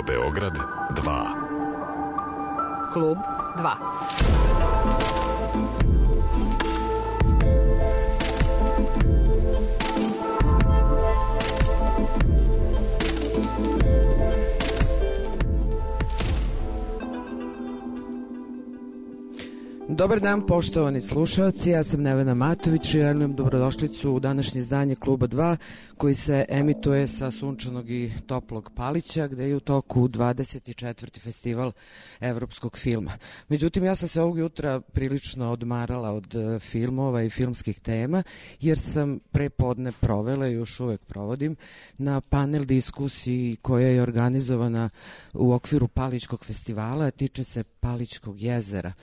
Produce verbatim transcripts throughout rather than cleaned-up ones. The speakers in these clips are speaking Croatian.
Beograd dva. Klub dva. Dobar dan, poštovani slušalci, ja sam Nevena Matović i želim dobrodošlicu u današnje izdanje Kluba dva koji se emituje sa sunčanog i toplog Palića gde je u toku dvadeset četvrti festival evropskog filma. Međutim, ja sam se ovog jutra prilično odmarala od filmova i filmskih tema jer sam pre podne provela i još uvek provodim na panel diskusiji koja je organizovana u okviru Palićkog festivala, tiče se Palićkog jezera.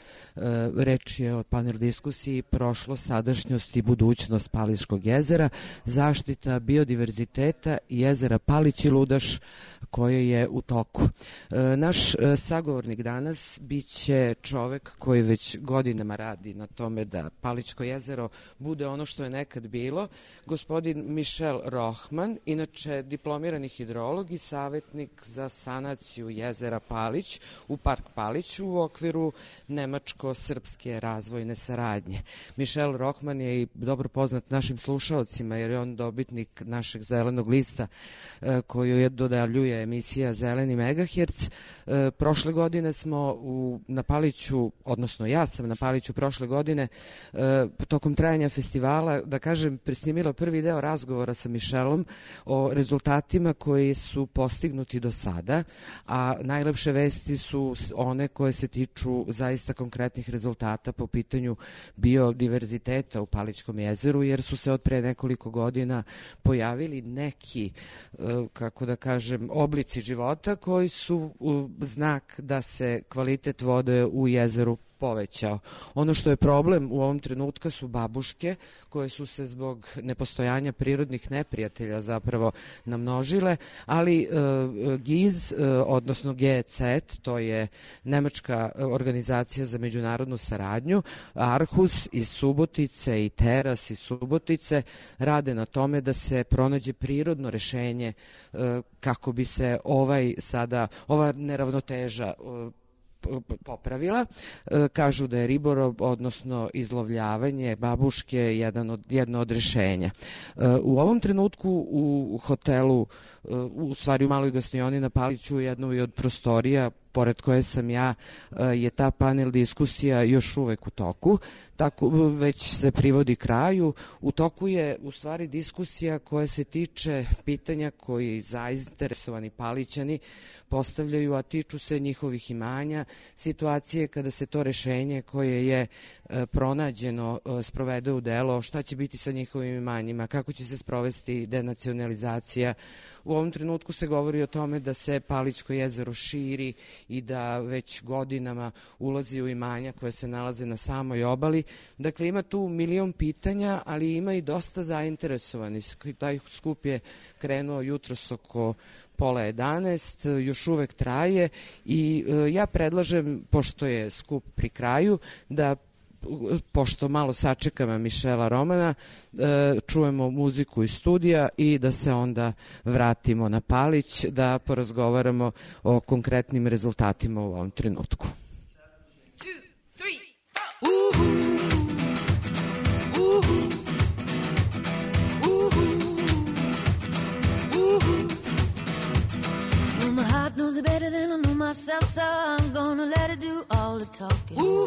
Reč je o panel diskusiji prošlost, sadašnjost i budućnost Palićkog jezera, zaštita biodiverziteta jezera Palić i Ludaš koje je u toku. Naš sagovornik danas biće čovek koji već godinama radi na tome da Palićko jezero bude ono što je nekad bilo, gospodin Mišel Rohman, inače diplomirani hidrolog i savjetnik za sanaciju jezera Palić u Park Paliću u okviru nemačko-srpske razvojne saradnje. Mišel Rohman je i dobro poznat našim slušalcima jer je on dobitnik našeg zelenog lista koju je dodaljuje emisija Zeleni megaherc. Prošle godine smo u, na Paliću, odnosno ja sam na Paliću prošle godine tokom trajanja festivala, da kažem, presnimila prvi deo razgovora sa Mišelom o rezultatima koji su postignuti do sada, a najlepše vesti su one koje se tiču zaista konkretnih rezultata po pitanju biodiverziteta u Palićkom jezeru, jer su se od pre nekoliko godina pojavili neki, kako da kažem, oblici života koji su znak da se kvalitet vode u jezeru povećao. Ono što je problem u ovom trenutka su babuške koje su se zbog nepostojanja prirodnih neprijatelja zapravo namnožile, ali uh, GIZ, uh, odnosno G E C E T, to je nemačka organizacija za međunarodnu saradnju, Arhus iz Subotice i Teras iz Subotice rade na tome da se pronađe prirodno rešenje uh, kako bi se ovaj sada, ova neravnoteža uh, popravila. Kažu da je ribolov, odnosno izlovljavanje babuške jedan od, jedno od rešenja. U ovom trenutku u hotelu, u stvari u maloj gostioni na Paliću, jednoj od prostorija pored koje sam ja, je ta panel diskusija još uvek u toku, tako već se privodi kraju. U toku je u stvari diskusija koja se tiče pitanja koji zainteresovani Palićani postavljaju, a tiču se njihovih imanja, situacije kada se to rešenje koje je pronađeno sprovede u delo, šta će biti sa njihovim imanjima, kako će se sprovesti denacionalizacija. U ovom trenutku se govori o tome da se Palićko jezero širi i da već godinama ulazi u imanja koje se nalaze na samoj obali. Dakle, ima tu milion pitanja, ali ima i dosta zainteresovani. Taj skup je krenuo jutros oko pola jedanaest, još uvek traje i e, ja predlažem, pošto je skup pri kraju, da pošto malo sačekamo Mišela Romana, e, čujemo muziku iz studija i da se onda vratimo na Palić, da porazgovaramo o konkretnim rezultatima u ovom trenutku. Two, three, four. Well, my heart knows it better than I know myself, so I'm gonna let it do all the talking. Ooh.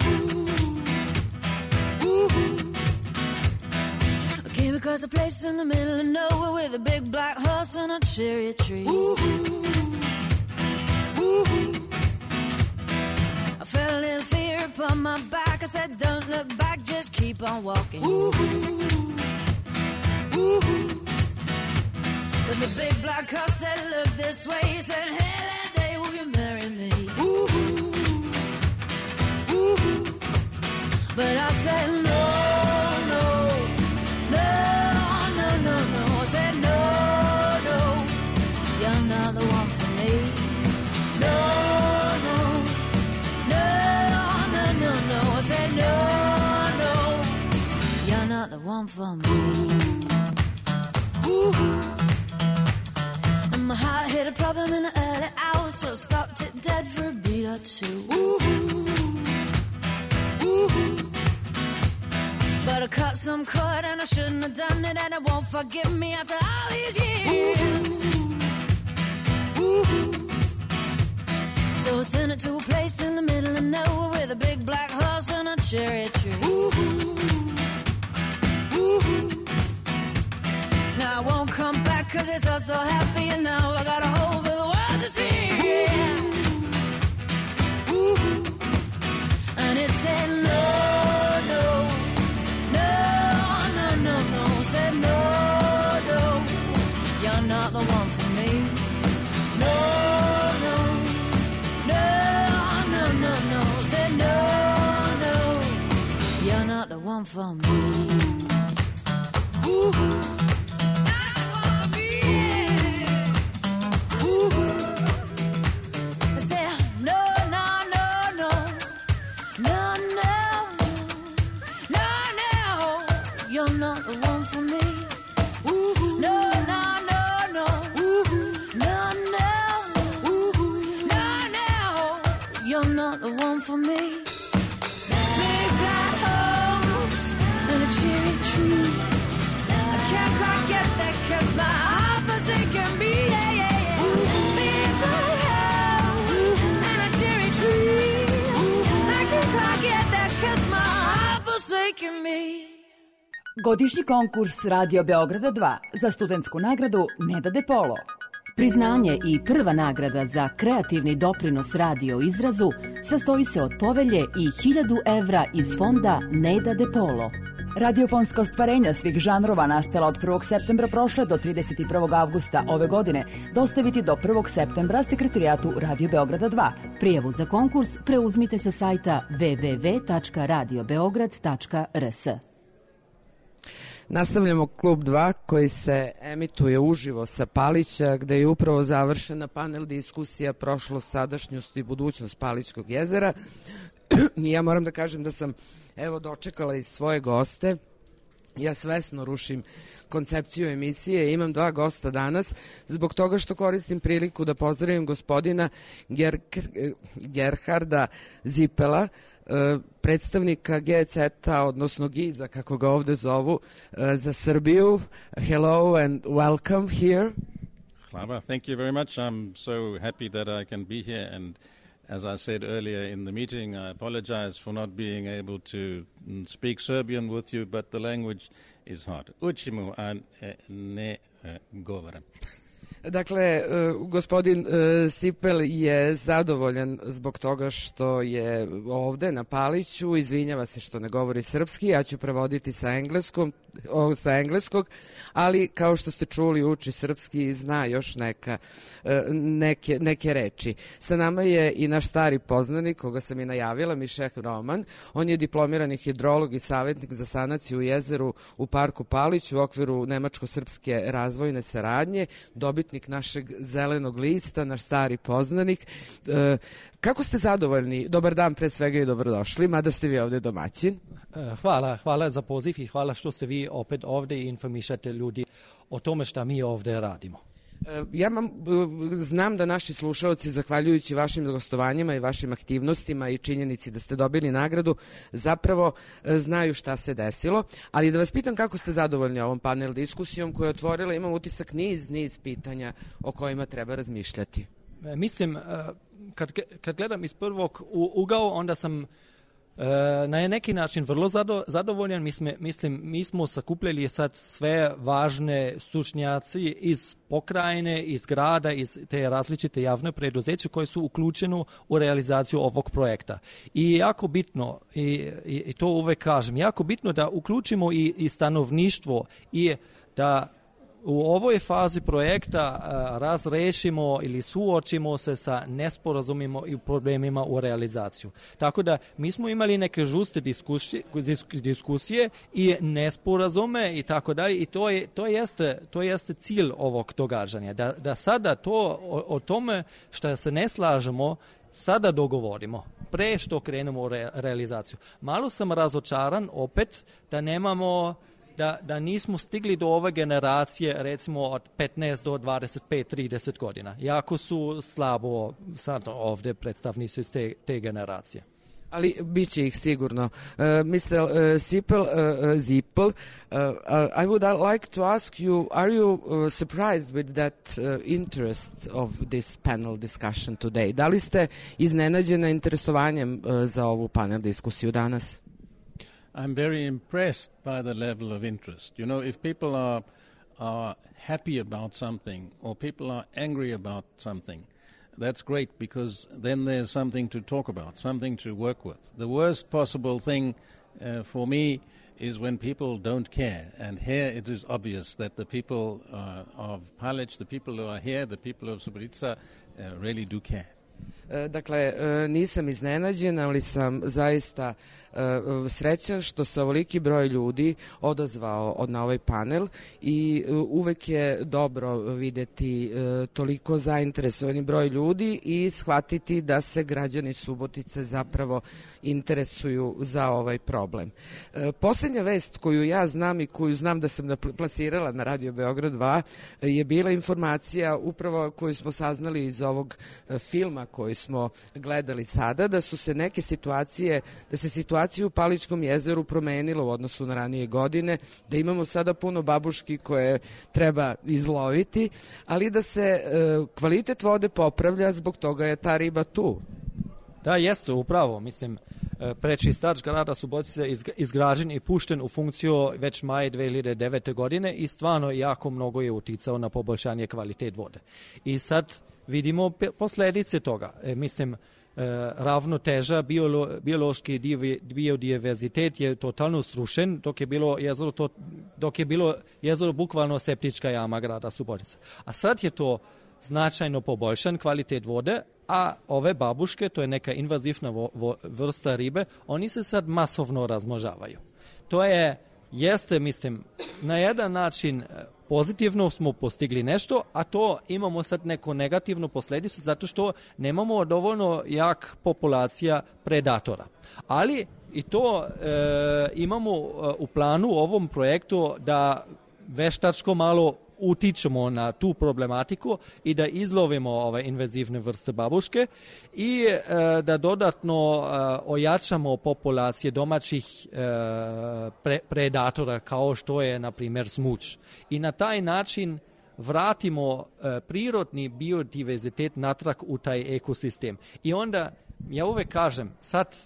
I came across a place in the middle of nowhere with a big black horse and a cherry tree. Ooh, ooh. I felt a little fear upon my back. I said, don't look back, just keep on walking. Ooh, ooh. But the big black horse said, look this way. He said, hey, that day, will you marry me? Ooh, ooh. But I said, no, no, no, no, no, no. I said, no, no, you're not the one for me. No, no, no, no, no, no. I said, no, no, you're not the one for me. Ooh. And my heart hit a problem in the early hours. so I stopped it dead for a beat or two. Woo-hoo, woo-hoo. But I cut some cord and I shouldn't have done it, and it won't forgive me after all these years. Woo-hoo. So I sent it to a place in the middle of nowhere with a big black horse and a cherry tree. Woo-hoo. Woo-hoo. Now I won't come back cause it's all so happy, and now I got a hole for the world to see. Yeah. Woo-hoo. And it said no, no, no, no, no, no. Said no, no, you're not the one for me. No, no, no, no, no, no. Said no, no, you're not the one for me. Woo-hoo. For me, big black house and a cherry tree. I can't quite get that cause my heart forsaken me. Yeah, yeah, yeah. Big black house and a cherry tree. I can't quite get that cause my heart forsaken me. Godišnji konkurs Radio Beograda dva za studentsku nagradu Neda De Polo. Priznanje i prva nagrada za kreativni doprinos radio izrazu sastoji se od povelje i hiljadu evra iz fonda Neda De Polo. Radiofonska ostvarenja svih žanrova nastala od prvog septembra prošle do trideset prvog avgusta ove godine dostaviti do prvog septembra sekretarijatu Radio Beograda dva. Prijavu za konkurs preuzmite sa sajta w w w tačka radio beograd tačka r s. Nastavljamo Klub dva koji se emituje uživo sa Palića, gde je upravo završena panel diskusija prošlost, sadašnjost i budućnost Palićkog jezera. I ja moram da kažem da sam evo dočekala i svoje goste. Ja svesno rušim koncepciju emisije, imam dva gosta danas zbog toga što koristim priliku da pozdravim gospodina Ger- Gerharda Zipela, predstavnika G C E-a, odnosno Giza, kako ga ovde zovu, za Srbiju. Hello and welcome here. Hvala, thank you very much. I'm so happy that I can be here, and as I said earlier in the meeting, I apologize for not being able to speak Serbian with you, but the language is hard. Učimu, a ne govorim. Dakle, uh, gospodin uh, Sipel je zadovoljan zbog toga što je ovde na Paliću, izvinjava se što ne govori srpski, ja ću prevoditi sa engleskom, o, sa engleskog, ali kao što ste čuli uči srpski i zna još neka, uh, neke, neke reči. Sa nama je i naš stari poznanik, koga sam i najavila, Mišek Roman. On je diplomirani hidrolog i savjetnik za sanaciju u jezeru u parku Palić u okviru Nemačko-srpske razvojne saradnje, dobitnik našeg zelenog lista, naš stari poznanik. E, kako ste zadovoljni? Dobar dan pre svega i dobrodošli, mada ste vi ovde domaćin. Hvala, hvala za poziv i hvala što ste vi opet ovde i informišate ljudi o tome šta mi ovde radimo. Ja mam, znam da naši slušalci, zahvaljujući vašim gostovanjima i vašim aktivnostima i činjenici da ste dobili nagradu, zapravo znaju šta se desilo, ali da vas pitam kako ste zadovoljni ovom panel diskusijom koja je otvorila, imam utisak, niz, niz pitanja o kojima treba razmišljati. Mislim, kad, kad gledam iz prvog ugao, onda sam na neki način vrlo zadovoljan. Mi smo, mislim, mi smo sakupljali sad sve važne stručnjaci iz pokrajine, iz grada, iz te različite javne preduzeće koje su uključene u realizaciju ovog projekta. I jako bitno, i, i, i to uvek kažem, jako bitno da uključimo i, i stanovništvo i da u ovoj fazi projekta a, razrešimo ili suočimo se sa nesporazumima i problemima u realizaciju. Tako da mi smo imali neke žuste diskusije, diskusije i nesporazume i tako dalje i to je to jeste to jeste cilj ovog događanja da da sada to o, o tome što se ne slažemo sada dogovorimo pre što krenemo u re, realizaciju. Malo sam razočaran opet da nemamo da, da nismo stigli do ove generacije recimo od petnaest do dvadeset pet trideset godina. Jako su slabo sad ovdje predstavnici te, te generacije. Ali bit će ih sigurno. Uh, mister Uh, Sipel, uh, uh, Zippel, uh, uh, I would uh, like to ask you, are you uh, surprised with that uh, interest of this panel discussion today? Da li ste iznenađeni interesovanjem uh, za ovu panel diskusiju danas? I'm very impressed by the level of interest. You know, if people are, are happy about something or people are angry about something, that's great, because then there's something to talk about, something to work with. The worst possible thing uh, for me is when people don't care. And here it is obvious that the people uh, of Palić, the people who are here, the people of Subotica uh, really do care. Dakle, nisam iznenađen, ali sam zaista srećan što se ovoliki broj ljudi odazvao na ovaj panel i uvek je dobro videti toliko zainteresovani broj ljudi i shvatiti da se građani Subotice zapravo interesuju za ovaj problem. Posljednja vest koju ja znam i koju znam da sam plasirala na Radio Beograd dva je bila informacija upravo koju smo saznali iz ovog filma koji smo gledali sada, da su se neke situacije, da se situacija u Paličkom jezeru promenila u odnosu na ranije godine, da imamo sada puno babuški koje treba izloviti, ali da se e, kvalitet vode popravlja, zbog toga je ta riba tu. Da, jeste, upravo. Mislim, prečistač grada Subotice je izgrađen i pušten u funkciju već maj dve hiljade devete. godine i stvarno jako mnogo je uticao na poboljšanje kvalitet vode. I sad vidimo posljedice toga. E, mislim, e, ravnoteža, biolo, biološki biodiverzitet je totalno srušen, dok je bilo jezero, to, dok je bilo jezero bukvalno septička jama grada Subotice. A sad je to značajno poboljšan kvalitet vode, a ove babuške, to je neka invazivna vo, vo, vrsta ribe, oni se sad masovno razmnožavaju. To je, jeste, mislim, na jedan način pozitivno smo postigli nešto, a to imamo sad neku negativnu posljedicu zato što nemamo dovoljno jak populacija predatora. Ali i to e, imamo u planu u ovom projektu da veštačko malo utičemo na tu problematiku i da izlovimo ove invazivne vrste babuške i e, da dodatno e, ojačamo populacije domaćih e, pre, predatora kao što je na primjer smuč. I na taj način vratimo e, prirodni biodiverzitet natrag u taj ekosistem. I onda, ja uvek kažem, sad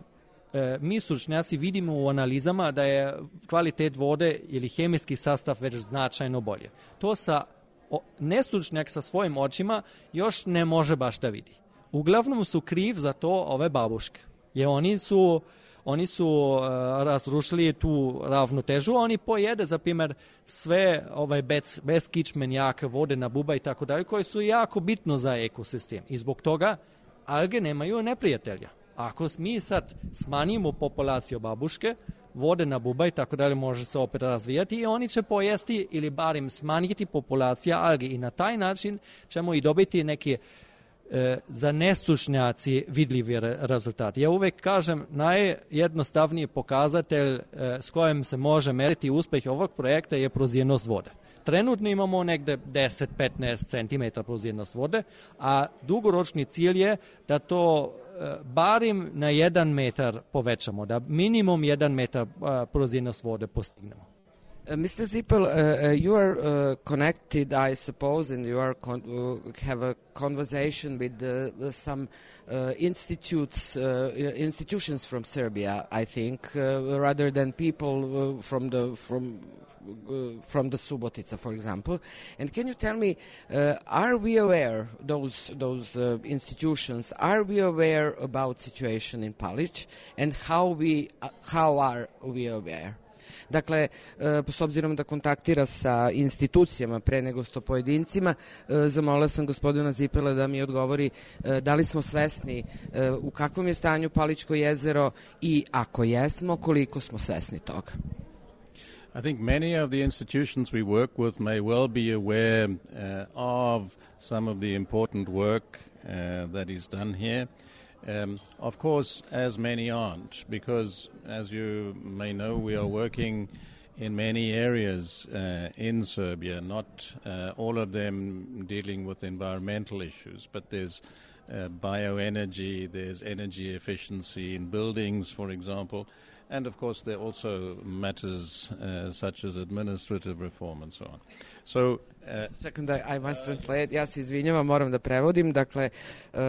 E, mi stručnjaci vidimo u analizama da je kvalitet vode ili hemijski sastav već značajno bolje. To sa o, nestručnjak sa svojim očima još ne može baš da vidi. Uglavnom su kriv za to ove babuške. Jer oni su, oni su uh, razrušili tu ravnotežu, oni pojede, za primjer, sve ovaj bez, beskičmen, jake vode na buba i tako dalje, koje su jako bitno za ekosistem. I zbog toga alge nemaju neprijatelja. Ako mi sad smanjimo populaciju babuške, vode na buba i tako dalje može se opet razvijati i oni će pojesti ili barem smanjiti populacija algi i na taj način ćemo i dobiti neki e, za nestručnjaci vidljivi re, rezultati. Ja uvek kažem, najjednostavniji pokazatelj e, s kojim se može meriti uspjeh ovog projekta je prozirnost vode. Trenutno imamo negde deset do petnaest centimetara prozirnost vode, a dugoročni cilj je da to barim na jedan metar povećamo, da minimum jedan metar uh, prozirnost vode postignemo. Uh, mister Zippel, uh, uh, you are uh, connected, I suppose, and you are con- uh, have a conversation with uh, some uh, institutes, uh, institutions from Serbia, I think, uh, rather than people uh, from the from uh, from the Subotica, for example. And can you tell me, uh, are we aware those those uh, institutions? Are we aware about situation in Palić, and how we uh, how are we aware? Dakle, s obzirom da kontaktira sa institucijama pre nego sto pojedincima, zamolila sam gospodina Zippela da mi odgovori da li smo svesni u kakvom je stanju Palićko jezero i ako jesmo, koliko smo svesni toga. I think many of the institutions we work with may well be aware uh, of some of the important work uh, that is done here. Um, of course, as many aren't, because, as you may know, we are working in many areas uh, in Serbia, not uh, all of them dealing with environmental issues, but there's uh, bioenergy, there's energy efficiency in buildings, for example, and of course there are also matters uh, such as administrative reform and so on. So, uh, Second, I, I must translate. Ja se izvinjavam, moram da prevodim. Dakle, uh,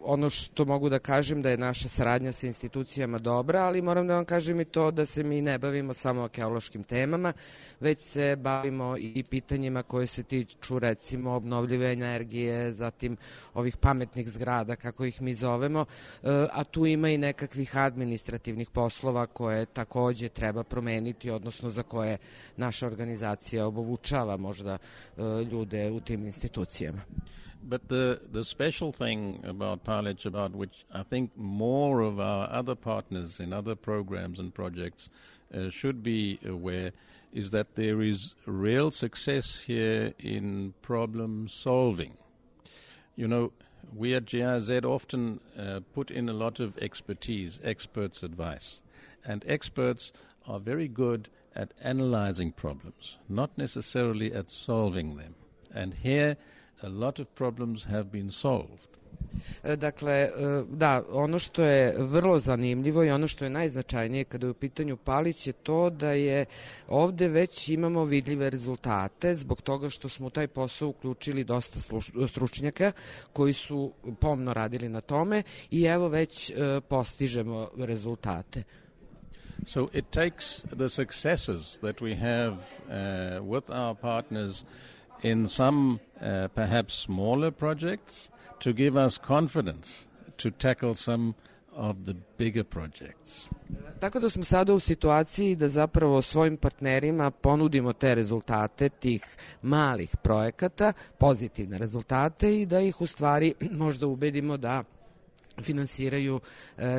ono što mogu da kažem da je naša saradnja sa institucijama dobra, ali moram da vam kažem i to da se mi ne bavimo samo arheološkim temama, već se bavimo i pitanjima koje se tiču recimo obnovljive energije, zatim ovih pametnih zgrada, kako ih mi zovemo, uh, a tu ima i nekakvih administrativnih poslova koje takođe treba promeniti, odnosno za koje naša organizacija obučava možda ljude u tim institucijama. But the, the special thing about Palić, about which I think more of our other partners in other programs and projects uh, should be aware, is that there is real success here in problem solving. You know, we at G I Z often uh, put in a lot of expertise, experts' advice, and experts are very good at analyzing problems, not necessarily at solving them. And here, a lot of problems have been solved. Dakle, da, ono što je vrlo zanimljivo i ono što je najznačajnije kada je u pitanju Palić je to da je ovde već imamo vidljive rezultate zbog toga što smo u taj posao uključili dosta stručnjaka koji su pomno radili na tome i evo već postižemo rezultate. So it takes the successes that we have uh, with our partners in some uh, perhaps smaller projects to give us confidence to tackle some of the bigger projects. Tako da smo sada u situaciji da zapravo svojim partnerima ponudimo te rezultate tih malih projekata, pozitivne rezultate i da ih u stvari možda ubedimo da finansiraju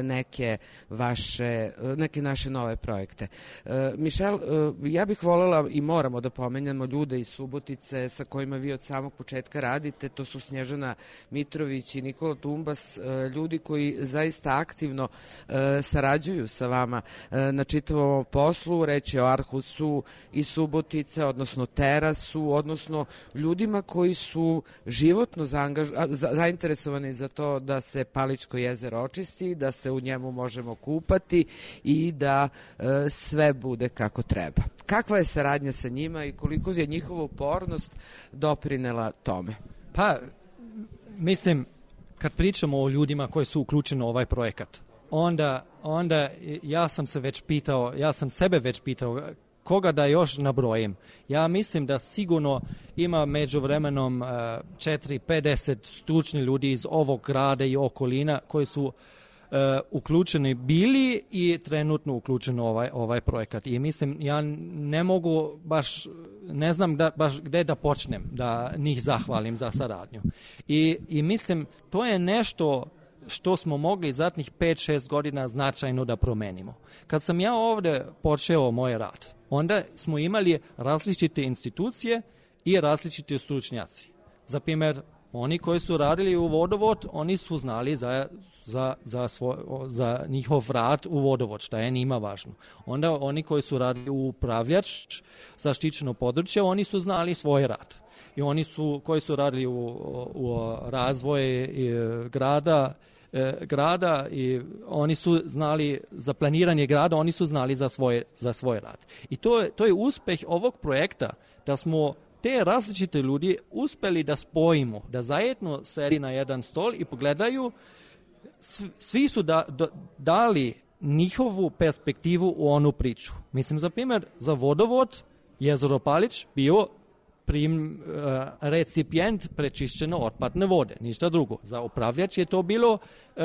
neke vaše, neke naše nove projekte. Mišel, ja bih voljela i moramo da pomenjamo ljude iz Subotice sa kojima vi od samog početka radite, to su Snježana Mitrović i Nikola Tumbas, ljudi koji zaista aktivno sarađuju sa vama na čitavom poslu, reč je o Arhusu i Subotice, odnosno Terasu, odnosno ljudima koji su životno zainteresovani za to da se Palić jezero očisti, da se u njemu možemo kupati i da e, sve bude kako treba. Kakva je saradnja sa njima i koliko je njihova upornost doprinela tome? Pa, mislim, kad pričamo o ljudima koji su uključeni u ovaj projekat, onda, onda ja sam se već pitao, ja sam sebe već pitao koga da još nabrojim. Ja mislim da sigurno ima među vremenom uh, četiri pedeset stručni ljudi iz ovog grada i okolina koji su uh, uključeni bili i trenutno uključeni u ovaj, ovaj projekat. I mislim, ja ne mogu baš, ne znam da, baš gde da počnem da njih zahvalim za saradnju. I, i mislim, to je nešto što smo mogli zadnjih pet šest godina značajno da promenimo. Kad sam ja ovde počeo moj rad, onda smo imali različite institucije i različite stručnjaci. Za primjer, oni koji su radili u vodovod, oni su znali za, za, za, svoj, za njihov rad u vodovod, šta je njima važno. Onda oni koji su radili u upravljač, zaštićeno područje, oni su znali svoj rad. I oni su, koji su radili u, u razvoj grada, grada i oni su znali za planiranje grada, oni su znali za svoj, za svoj rad. I to je, to je uspeh ovog projekta, da smo te različite ljudi uspeli da spojimo, da zajedno sedi na jedan stol i pogledaju, svi su da, da, dali njihovu perspektivu u onu priču. Mislim, za primjer, za vodovod jezero Palić bio prim, uh, recipijent prečišćene otpadne vode, ništa drugo. Za upravljač je to bilo uh,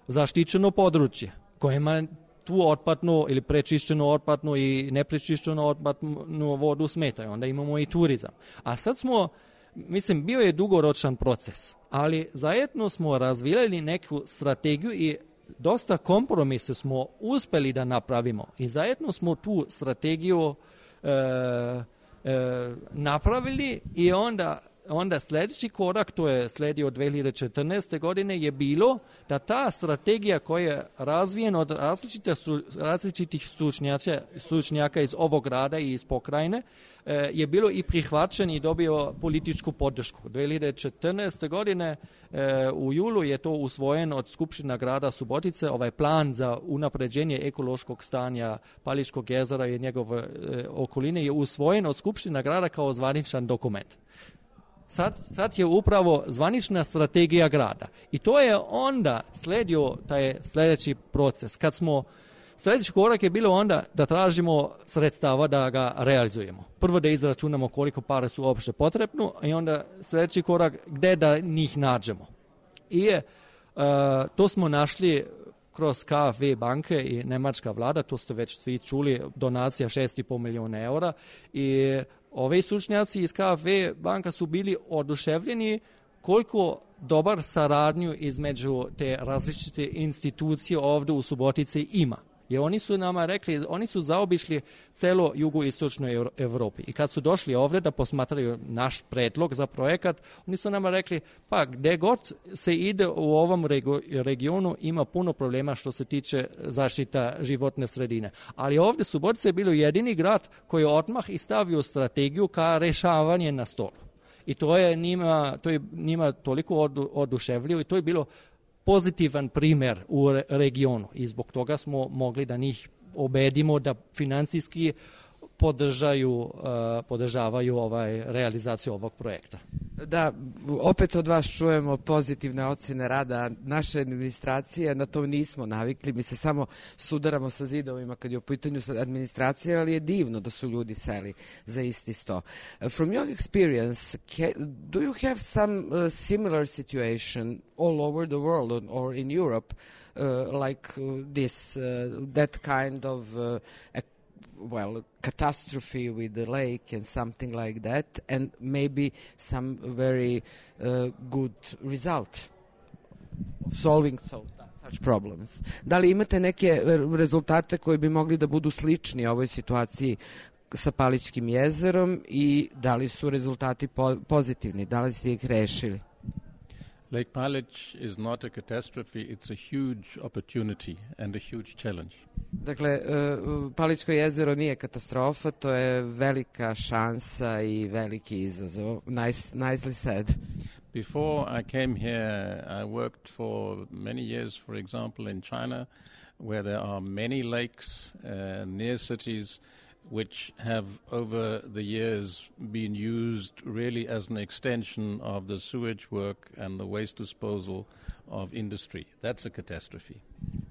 zaštićeno područje kojima tu otpadnu ili prečišćenu otpadnu i neprečišćenu otpadnu vodu smetaju. Onda imamo i turizam. A sad smo, mislim, bio je dugoročan proces, ali zajedno smo razvijali neku strategiju i dosta kompromise smo uspeli da napravimo. I zajedno smo tu strategiju uh, E, napravili i onda onda sljedeći korak, to je slijedio dvije hiljade četrnaeste. godine, je bilo da ta strategija koja je razvijena od različite, različitih stručnjaka, stručnjaka iz ovog grada i iz pokrajine, je bilo i prihvaćen i dobio političku podršku. dvije hiljade četrnaeste. godine u julu je to usvojen od Skupština grada Subotice, ovaj plan za unapređenje ekološkog stanja Paličkog jezera i njegove okoline je usvojen od Skupština grada kao zvaničan dokument. Sad, sad je upravo zvanična strategija grada. I to je onda slijedio taj sljedeći proces. Kad smo, sljedeći korak je bilo onda da tražimo sredstava da ga realizujemo. Prvo da izračunamo koliko para su uopšte potrebno i onda sljedeći korak gdje da njih nađemo. I uh, to smo našli kroz K F V banke i nemačka vlada, to ste već svi čuli, donacija šest i pol milijuna eura i ovi stručnjaci iz K F V banka su bili oduševljeni koliko dobar saradnju između te različite institucije ovdje u Subotici ima. Jer oni su nama rekli, oni su zaobišli celo jugoistočnoj Europi. I kad su došli ovdje da posmatraju naš predlog za projekat, oni su nama rekli, pa gdje god se ide u ovom regionu ima puno problema što se tiče zaštita životne sredine. Ali ovdje Subotica je bilo jedini grad koji je odmah i stavio strategiju ka rešavanje na stolu. I to je njima, to je njima toliko odu, oduševljivo i to je bilo pozitivan primjer u re, regionu i zbog toga smo mogli da njih ubedimo da financijski podržaju, uh, podržavaju ovaj, realizaciju ovog projekta. Da, opet od vas čujemo pozitivne ocjene rada naše administracije, na to nismo navikli, mi se samo sudaramo sa zidovima kad je u pitanju administracije, ali je divno da su ljudi seli za isti sto. Uh, from your experience, can, do you have some uh, similar situation all over the world or, or in Europe, uh, like uh, this, uh, that kind of uh, well, catastrophe with the lake and something like that, and maybe some very uh, good result of solving so, such problems. Da li imate neke rezultate koji bi mogli da budu slični ovoj situaciji sa Paličkim jezerom i da li su rezultati po- pozitivni, da li ste ih rešili? Lake Palić is not a catastrophe, it's a huge opportunity and a huge challenge. Dakle, uh, Paličko jezero nije katastrofa, to je velika šansa i veliki izazov. Nice, nicely said. Before I came here, I worked for many years, for example, in China, where there are many lakes uh, near cities which have over the years been used really as an extension of the sewage work and the waste disposal of industry. That's a catastrophe.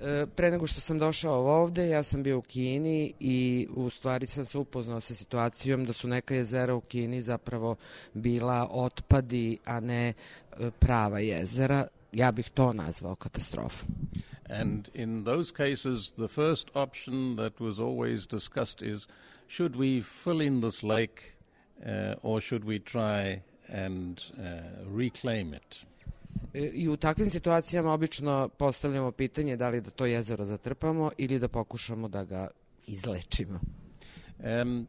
E, pre nego što sam došao ovde, ja sam bio u Kini i u stvari sam se upoznao sa situacijom da su neka jezera u Kini zapravo bila otpadi, a ne e, prava jezera. Ja bih to nazvao katastrofom. And in those cases, the first option that was always discussed is, should we fill in this lake uh, or should we try and uh, reclaim it? I u takvim situacijama obično postavljamo pitanje da li da to jezero zatrpamo ili da pokušamo da ga izlečimo. Um,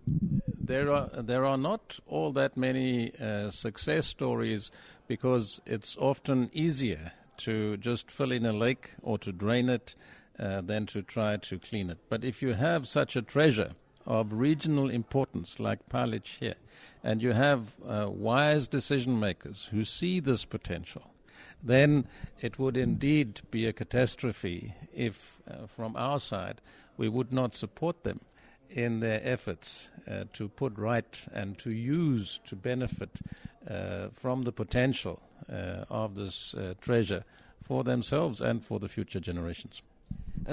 there are there are not all that many uh, success stories because it's often easier to just fill in a lake or to drain it uh, than to try to clean it. But if you have such a treasure of regional importance like Palić here, and you have uh, wise decision makers who see this potential, then it would indeed be a catastrophe if, uh, from our side, we would not support them in their efforts uh, to put right and to use, to benefit uh, from the potential uh, of this uh, treasure for themselves and for the future generations.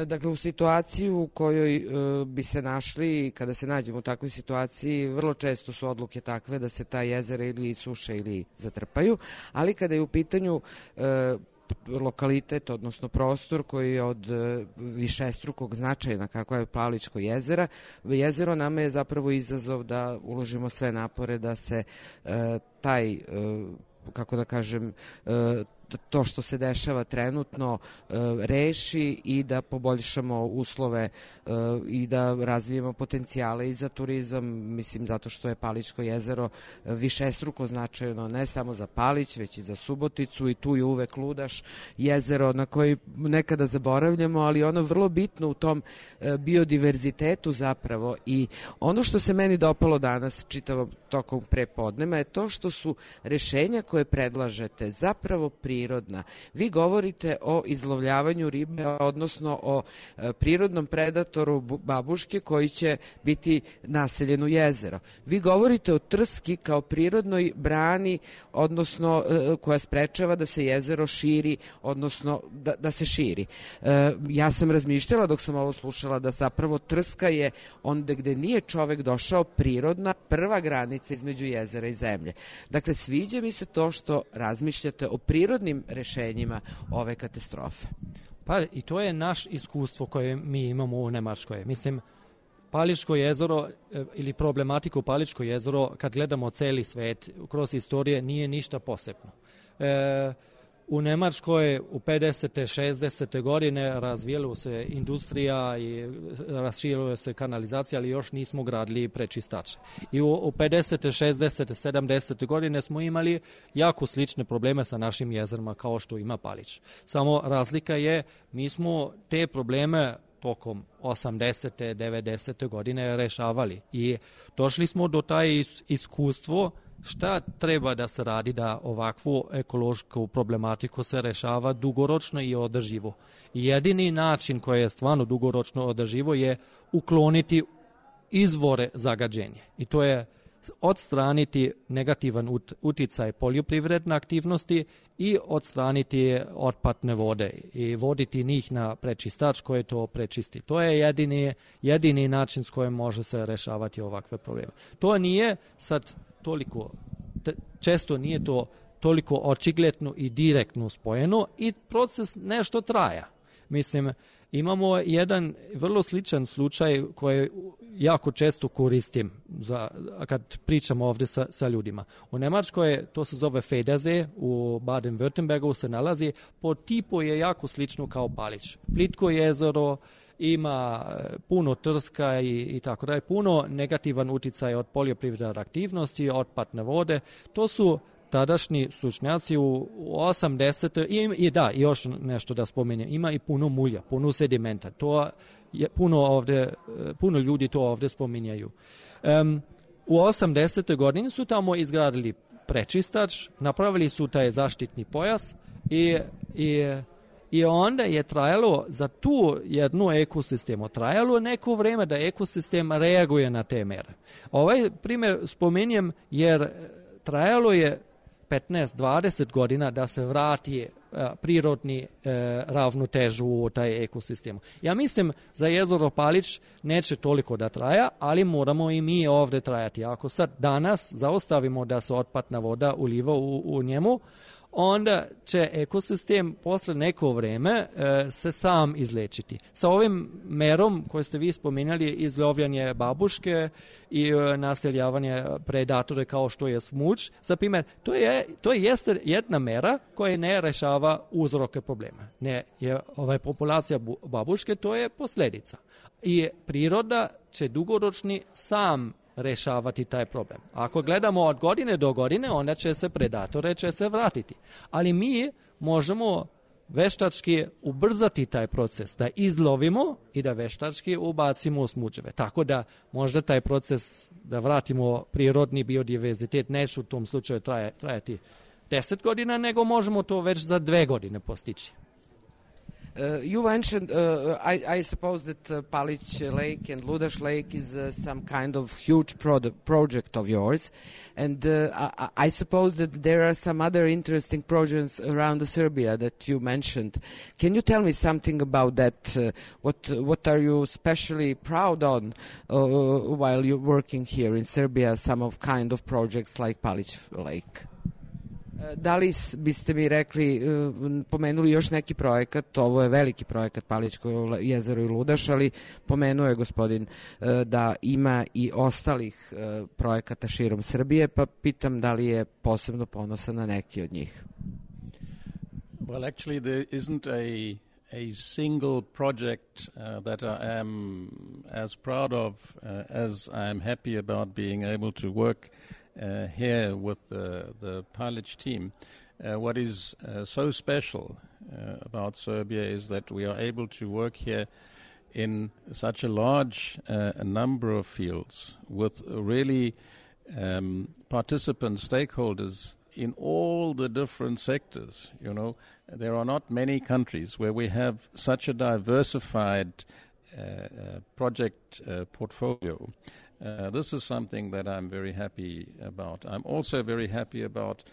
Dakle, u situaciji u kojoj uh, bi se našli, kada se nađemo u takvoj situaciji, vrlo često su odluke takve da se ta jezera ili suše ili zatrpaju, ali kada je u pitanju uh, lokalitet, odnosno prostor koji je od uh, višestrukog značaja kako je Paličko jezera, jezero nama je zapravo izazov da uložimo sve napore da se uh, taj, uh, kako da kažem, uh, to što se dešava trenutno reši i da poboljšamo uslove i da razvijemo potencijale i za turizam, mislim zato što je Palićko jezero višestruko značajno ne samo za Palić, već i za Suboticu i tu je uvek Ludaš, jezero na koji nekada zaboravljamo, ali ono vrlo bitno u tom biodiverzitetu zapravo. I ono što se meni dopalo danas čitavom tokom prepodneva je to što su rešenja koje predlažete zapravo prirodna. Vi govorite o izlovljavanju ribe, odnosno o prirodnom predatoru babuške koji će biti naseljen u jezero. Vi govorite o trski kao prirodnoj brani, odnosno koja sprečava da se jezero širi, odnosno da, da se širi. Ja sam razmišljala dok sam ovo slušala da zapravo trska je onda gde nije čovek došao prirodna prva granica između jezera i zemlje. Dakle, sviđa mi se to što razmišljate o prirodnim rešenjima ove katastrofe. Pa i to je naš iskustvo koje mi imamo u Nemačkoj. Mislim, Palićko jezero ili problematiku Palićko jezero, kad gledamo celi svet, kroz istorije, nije ništa posebno. E, u Nemačkoj u pedesete, šezdesete godine razvijela se industrija i raširila se kanalizacija, ali još nismo gradili prečistače. I u, u pedesete, šezdesete, sedamdesete godine smo imali jako slične probleme sa našim jezerima kao što ima Palić. Samo razlika je, mi smo te probleme tokom osamdesete, devedesete godine rešavali i došli smo do taj iskustvo šta treba da se radi da ovakvu ekološku problematiku se rešava dugoročno i održivo. I jedini način koji je stvarno dugoročno održivo je ukloniti izvore zagađenja. I to je odstraniti negativan uticaj poljoprivredne aktivnosti i odstraniti otpadne vode i voditi njih na prečistač koji to prečisti. To je jedini, jedini način s kojim može se rešavati ovakve probleme. To nije sad toliko, često nije to toliko očigledno i direktno spojeno i proces nešto traja. Mislim, imamo jedan vrlo sličan slučaj koji jako često koristim za, kad pričamo ovdje sa, sa ljudima. U Nemačkoj to se zove Federsee, u Baden-Württembergu se nalazi, po tipu je jako slično kao Palić. Plitko jezero, ima puno trska i, i tako dalje, puno negativan uticaj od poljoprivredne aktivnosti, otpadne vode. To su tadašnji stručnjaci u, u osamdesetim i, i da, još nešto da spomenem, ima i puno mulja, puno sedimenta. To je puno ovdje, puno ljudi to ovdje spominjaju. Um, u osamdesetoj godini su tamo izgradili prečistač, napravili su taj zaštitni pojas i, i I onda je trajalo za tu jednu ekosistemu, trajalo neko vreme da ekosistem reaguje na te mere. Ovaj primjer spominjem jer trajalo je petnaest dvadeset godina da se vrati a, prirodni a, ravnotežu u taj ekosistem. Ja mislim za jezero Palić neće toliko da traja, ali moramo i mi ovdje trajati. Ako sad danas zaostavimo da se otpadna voda uliva u, u njemu, onda će ekosistem posle neko vreme e, se sam izlečiti. Sa ovim merom koje ste vi spominjali, izlovljanje babuške i e, naseljavanje predatore kao što je smuč, za primjer, to je, to je jeste jedna mera koja ne rešava uzroke problema. Ne, je ovaj populacija babuške, to je posljedica. I priroda će dugoročni sam rešavati taj problem. Ako gledamo od godine do godine, onda će se predatore će se vratiti. Ali mi možemo veštački ubrzati taj proces, da izlovimo i da veštački ubacimo smuđeve. Tako da možda taj proces da vratimo prirodni biodiverzitet neće u tom slučaju traje, trajati deset godina, nego možemo to već za dve godine postići. Uh, you mentioned, uh, I, I suppose that uh, Palić Lake and Ludaš Lake is uh, some kind of huge pro- project of yours, and uh, I, I suppose that there are some other interesting projects around Serbia that you mentioned. Can you tell me something about that? Uh, what what are you especially proud on uh, while you're working here in Serbia? Some of kind of projects like Palić Lake. Da li biste mi rekli, pomenuli još neki projekat, ovo je veliki projekat Palićko jezero i Ludaš, ali pomenuo je gospodin da ima i ostalih projekata širom Srbije, pa pitam da li je posebno ponosan na neki od njih. Well, actually, there isn't a a single project uh, that I am as proud of uh, as I am happy about being able to work uh, here with the, the Palić team. Uh, what is uh, so special uh, about Serbia is that we are able to work here in such a large uh, a number of fields with really um, participant stakeholders in all the different sectors. You know, there are not many countries where we have such a diversified uh, uh, project uh, portfolio. Uh, this is something that I'm very happy about. I'm also very happy about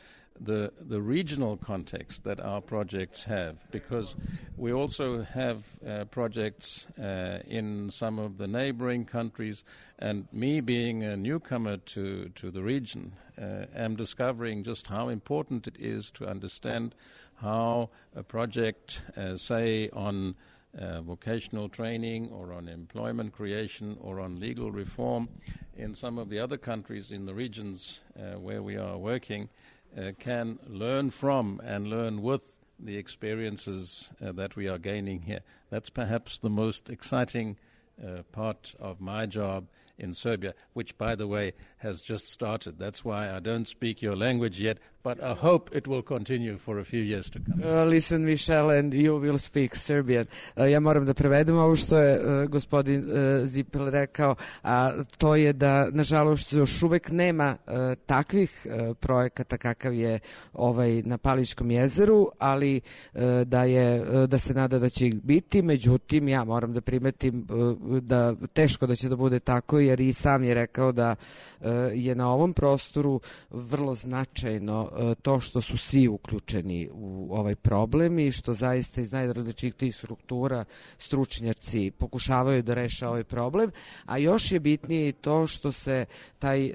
the the regional context that our projects have, because we also have uh, projects uh, in some of the neighboring countries, and me being a newcomer to, to the region, uh, am discovering just how important it is to understand how a project, uh, say, on uh, vocational training or on employment creation or on legal reform in some of the other countries in the regions uh, where we are working, Uh, can learn from and learn with the experiences uh, that we are gaining here. That's perhaps the most exciting uh, part of my job in Serbia, which, by the way, has just started. That's why I don't speak your language yet, but I hope it will continue for a few years to come. Uh, listen, Michelle, and you will speak Serbian. Uh, ja moram da prevedem ovo što je uh, gospodin uh, Zipel rekao, a to je da, nažalost, još uvek nema uh, takvih uh, projekata kakav je ovaj na Palićkom jezeru, ali uh, da, je, uh, da se nada da će ih biti. Međutim, ja moram da primetim uh, da teško da će da bude tako, jer i sam je rekao da uh, je na ovom prostoru vrlo značajno uh, to što su svi uključeni u ovaj problem i što zaista iz najrazličitijih struktura stručnjaci pokušavaju da reše ovaj problem, a još je bitnije i to što se taj, uh,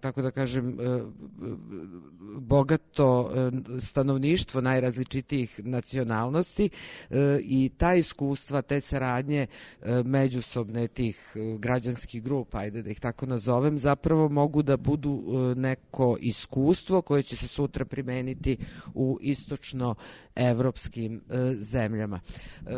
tako da kažem, uh, bogato uh, stanovništvo najrazličitijih nacionalnosti uh, i ta iskustva, te saradnje uh, međusobne tih uh, građanskih grupa, ajde da ih tako nazovem, zapravo mogu da budu uh, neko iskustvo koje će se sutra primeniti u istočno-evropskim uh, zemljama. Uh,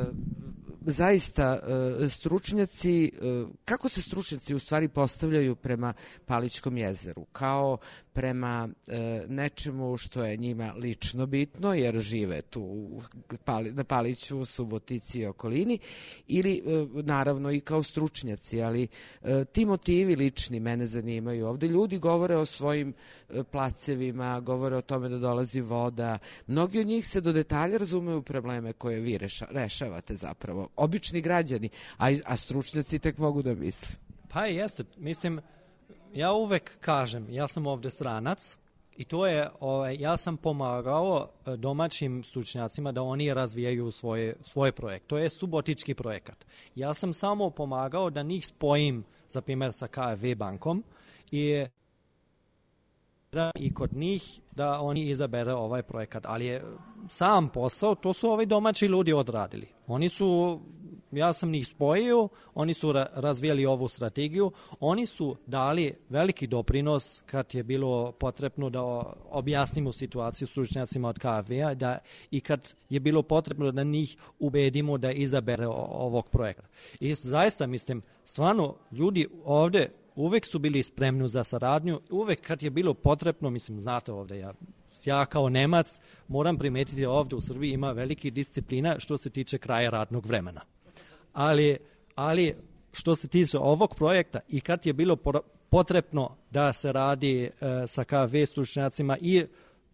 zaista uh, stručnjaci, uh, kako se stručnjaci u stvari postavljaju prema Palićkom jezeru? Kao prema e, nečemu što je njima lično bitno, jer žive tu u Pali, na Paliću, Subotici i okolini, ili e, naravno i kao stručnjaci, ali e, ti motivi lični mene zanimaju. Ovde ljudi govore o svojim e, placevima, govore o tome da dolazi voda. Mnogi od njih se do detalja razumeju probleme koje vi reša, rešavate zapravo. Obični građani, a, a stručnjaci tek mogu da misle. Pa jeste, mislim, ja uvek kažem, ja sam ovde stranac i to je, ovaj, ja sam pomagao domaćim stručnjacima da oni razvijaju svoje, svoje projekte. To je subotički projekat. Ja sam samo pomagao da njih spojim, za primjer, sa K F V bankom i da i kod njih da oni izabere ovaj projekat. Ali je sam posao, to su ovi domaći ljudi odradili. Oni su, ja sam njih spojio, oni su ra- razvijali ovu strategiju, oni su dali veliki doprinos kad je bilo potrebno da objasnimo situaciju stručnjacima od K F V-a da, i kad je bilo potrebno da njih ubedimo da izabere ovog projekta. I zaista mislim, stvarno ljudi ovde uvek su bili spremni za saradnju, uvek kad je bilo potrebno, mislim, znate ovde, ja, ja kao Nemac moram primetiti da ovde u Srbiji ima veliki disciplina što se tiče kraja radnog vremena. Ali, ali što se tiče ovog projekta i kad je bilo potrebno da se radi e, sa K F V stručnjacima i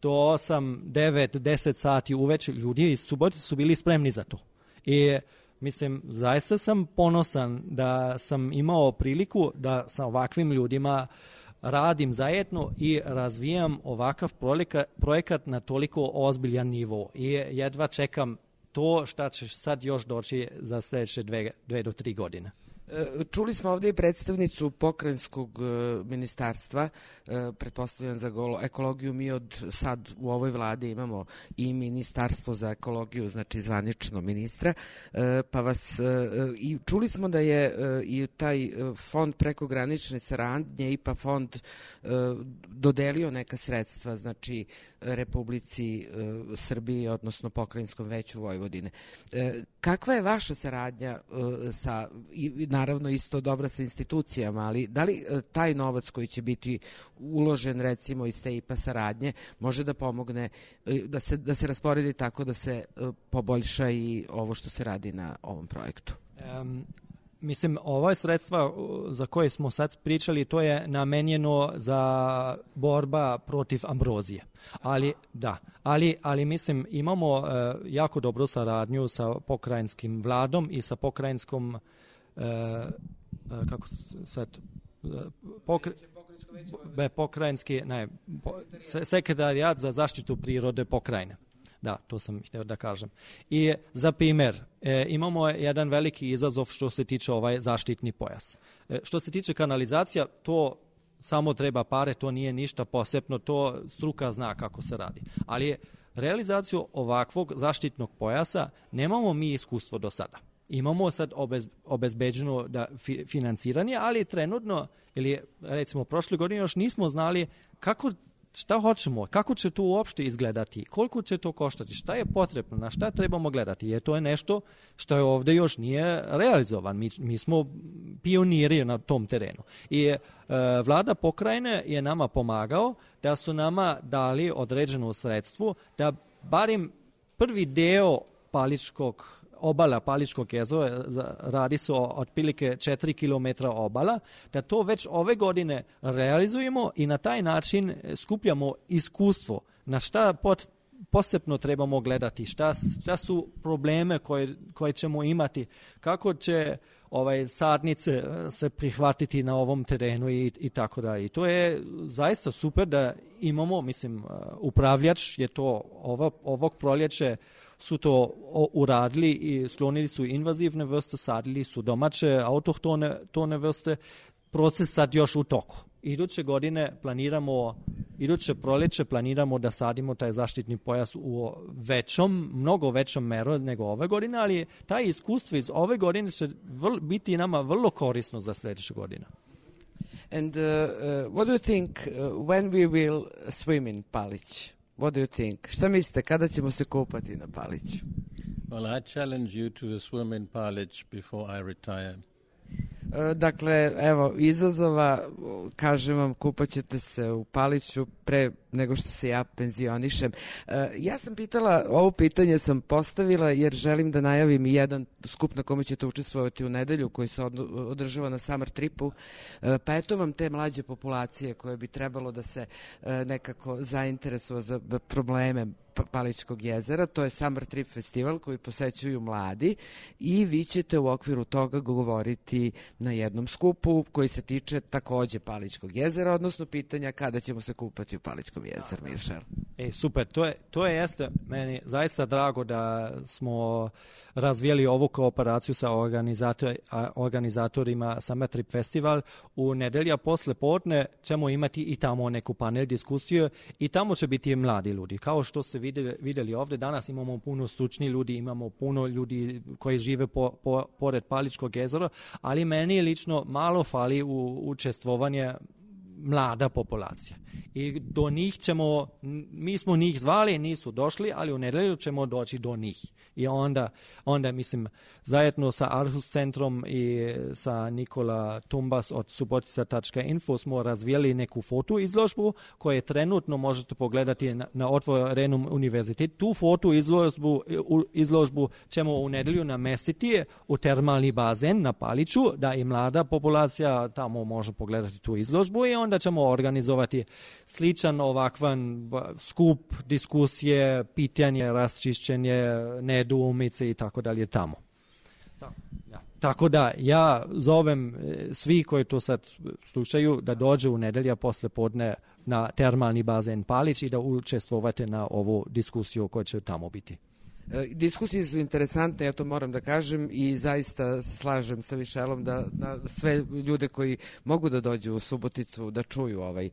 do osam, devet, deset sati uveče, ljudi iz Subotice su bili spremni za to. I mislim, zaista sam ponosan da sam imao priliku da sa ovakvim ljudima radim zajedno i razvijam ovakav projekat, projekat na toliko ozbiljan nivo. I jedva čekam to šta će sad još doći za sljedeće dve, dve do tri godine. Čuli smo ovdje i predstavnicu pokrajinskog ministarstva, pretpostavljam za ekologiju. Mi od sad u ovoj vladi imamo i ministarstvo za ekologiju, znači zvanično ministra, pa vas i čuli smo da je i taj fond prekogranične saradnje, I P A fond, dodelio neka sredstva, znači Republici Srbiji, odnosno Pokrajinskom veću Vojvodine. Kakva je vaša saradnja sa, i naravno isto dobra sa institucijama, ali da li taj novac koji će biti uložen recimo iz te I P A saradnje može da pomogne da se, da se rasporedi tako da se poboljša i ovo što se radi na ovom projektu? Um, Mislim, ova sredstva za koje smo sad pričali, to je namenjeno za borba protiv ambrozije. Ali, da, ali, ali mislim, imamo uh, jako dobru saradnju sa pokrajinskim vladom i sa pokrajinskom, uh, uh, kako sad, uh, pokre, be, pokrajinski, ne, po, sekretarijat za zaštitu prirode pokrajine. Da, to sam htio da kažem. I za primjer, e, imamo jedan veliki izazov što se tiče ovaj zaštitni pojas. E, što se tiče kanalizacija, to samo treba pare, to nije ništa posebno, to struka zna kako se radi. Ali realizaciju ovakvog zaštitnog pojasa nemamo mi iskustvo do sada. Imamo sad obez, obezbeđeno da fi, financiranje, ali trenutno, ili recimo prošle godine još nismo znali kako šta hoćemo, kako će to uopšte izgledati, koliko će to koštati, šta je potrebno, na šta trebamo gledati, jer to je nešto što je ovdje još nije realizovan. Mi, mi smo pioniri na tom terenu. I e, vlada pokrajine je nama pomagao da su nama dali određeno sredstvo da barim prvi deo Paličkog obala Paličkog jezera, radi se o otprilike četiri kilometra obala, da to već ove godine realizujemo i na taj način skupljamo iskustvo na šta pot, posebno trebamo gledati, šta, šta su probleme koje, koje ćemo imati, kako će ovaj sadnice se prihvatiti na ovom terenu i, i tako dalje. I to je zaista super da imamo, mislim, upravljač je to ovo, ovog proljeće su to uradili i sklonili su invazivne vrste, sadili su domaće autohtone tone vrste. Proces sad još u toku. Iduće godine planiramo, iduće proljeće planiramo da sadimo taj zaštitni pojas u većom, mnogo većom meru nego ove godine, ali taj iskustvo iz ove godine će vrl, biti nama vrlo korisno za sljedeću godinu. And uh, uh, what do you think uh, when we will swim in Palić? What do you think? Šta mislite, kada ćemo se kupati na Paliću? Well, I challenge you to swim in Palić before I retire. Dakle, evo, izazova, kažem vam, kupat ćete se u Paliću pre nego što se ja penzionišem. Ja sam pitala, ovo pitanje sam postavila jer želim da najavim jedan skup na kome ćete učestvovati u nedelju koji se održava na Summer Tripu, pa eto vam te mlađe populacije koje bi trebalo da se nekako zainteresuju za probleme Paličkog jezera. To je Summer Trip festival koji posećuju mladi i vi ćete u okviru toga govoriti na jednom skupu koji se tiče takođe Paličkog jezera, odnosno pitanja kada ćemo se kupati u Paličkom jezeru, Mišel. E, super, to je, to je jeste meni zaista drago da smo razvijeli ovu kooperaciju sa organizator, organizatorima Summer Trip Festival. U nedelja posle podne ćemo imati i tamo neku panel diskusiju i tamo će biti mladi ljudi. Kao što ste vidjeli, vidjeli ovdje, danas imamo puno stručnih ljudi, imamo puno ljudi koji žive po, po, pored Paličkog jezera, ali meni lično malo fali u učestvovanje mlada populacija. I do njih ćemo, mi smo njih zvali, nisu došli, ali u nedelju ćemo doći do njih. I onda, onda mislim, zajedno sa Arhus centrom i sa Nikola Tumbas od subotica tačka info smo razvijeli neku foto izložbu koju trenutno možete pogledati na, na otvorenom univerzitetu. Tu foto izložbu, izložbu ćemo u nedelju namestiti u termalni bazen na Paliću, da i mlada populacija tamo može pogledati tu izložbu i onda ćemo organizovati sličan ovakvan skup, diskusije, pitanje, raščišćenje, nedoumice i tako dalje tamo. Tako da ja zovem svi koji to sad slušaju da dođe u nedelja posle podne na termalni bazen Palić i da učestvovate na ovu diskusiju koja će tamo biti. Diskusije su interesantne, ja to moram da kažem, i zaista se slažem sa Mišelom da, da sve ljude koji mogu da dođu u Suboticu da čuju ovaj,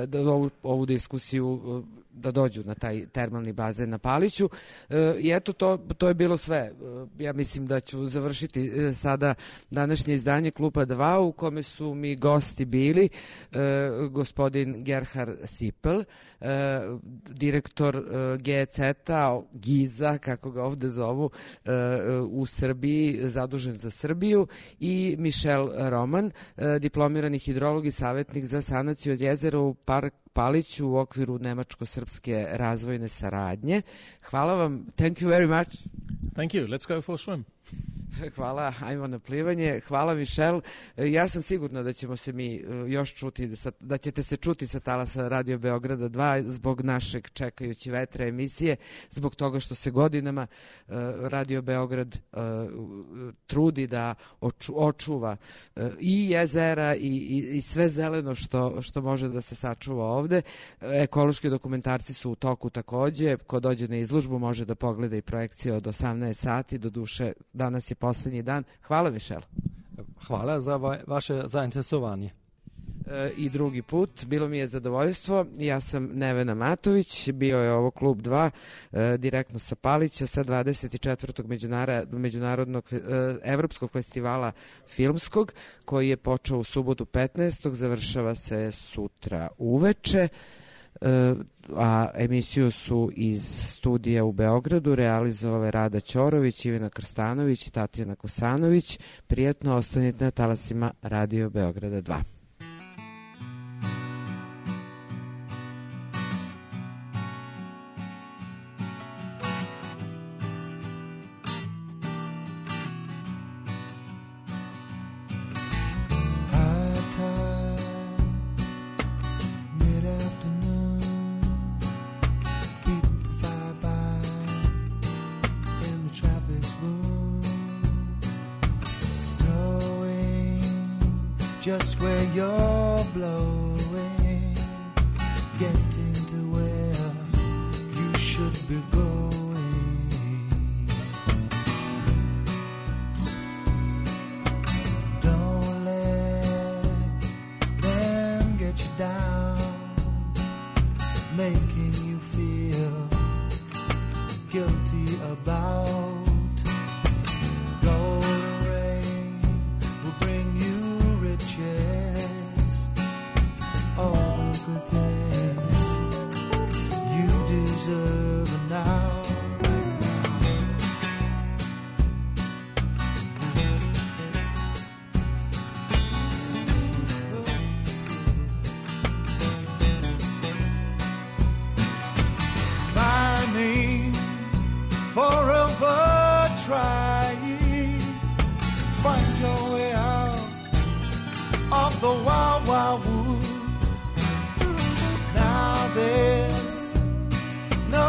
da, ovu, ovu diskusiju, da dođu na taj termalni bazen na Paliću. I eto, to, to je bilo sve. Ja mislim da ću završiti sada današnje izdanje Kluba dva, u kome su mi gosti bili gospodin Gerhard Sipel, direktor G C T-a, Giza, kako ga ovde zovu, u Srbiji, zadužen za Srbiju, i Mišel Roman, diplomirani hidrolog i savjetnik za sanaciju od jezera u park Paliću u okviru nemačko-srpske razvojne saradnje. Hvala vam. Thank you very much. Thank you. Let's go for a swim. Hvala, ajmo na plivanje. Hvala, Mišel. Ja sam sigurna da ćemo se mi još čuti, da ćete se čuti sa talasa Radio Beograda dva zbog našeg Čekajući vetra emisije, zbog toga što se godinama Radio Beograd trudi da očuva i jezera i, i, i sve zeleno što, što može da se sačuva ovde. Ekološki dokumentarci su u toku takođe. Ko dođe na izložbu može da pogleda i projekcije od osamnaest sati. Do duše, danas je poslednji dan. Hvala, Mišel. Hvala za va vaše zainteresovanje. E, I drugi put, bilo mi je zadovoljstvo. Ja sam Nevena Matović, bio je ovo Klub dva, e, direktno sa Palića, sa dvadeset četvrtog Međunarodnog e, Evropskog festivala filmskog, koji je počeo u subotu petnaestog završava se sutra uveče. A emisiju su iz studija u Beogradu realizovale Rada Ćorović, Ivana Krstanović i Tatjana Kosanović. Prijetno, ostanite na talasima Radio Beograda dva. Just where you're blowing, getting to where you should be going. Don't let them get you down, making you feel guilty about all the good things you deserve now. Climbing, forever trying, find your way out of the wild, wild wood. Now there's no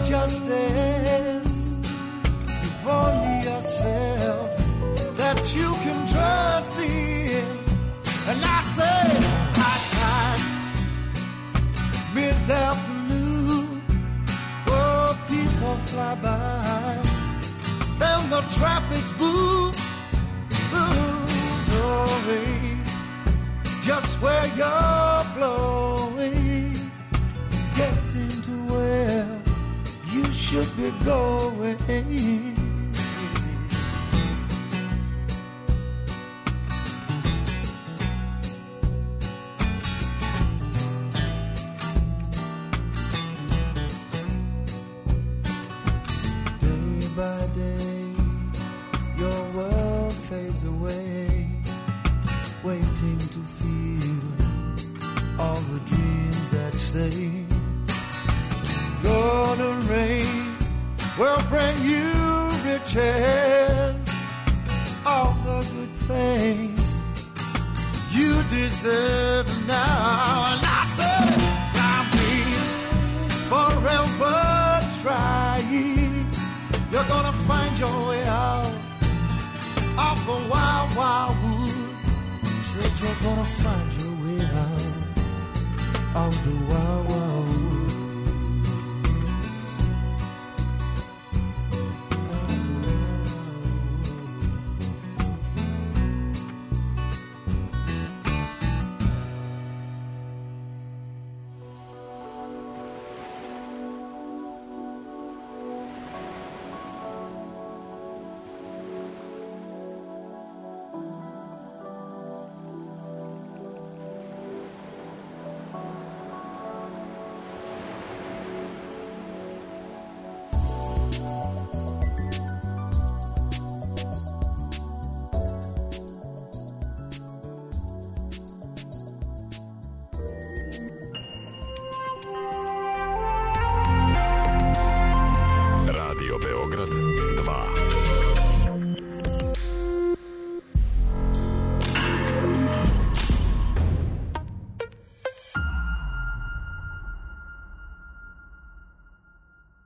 justice. You've only yourself that you can trust in. And I say, high time, mid-afternoon, oh, people fly by, and the traffic's boom, boom, glory. Just where you're blowing, getting to where you should be going. Day by day, your world fades away, waiting to feel all the dreams that say golden rain will bring you riches, all the good things you deserve now. And I said, I've been forever trying. You're gonna find your way out of the wild, wild wood. Said you're gonna find your way out of the wild, wild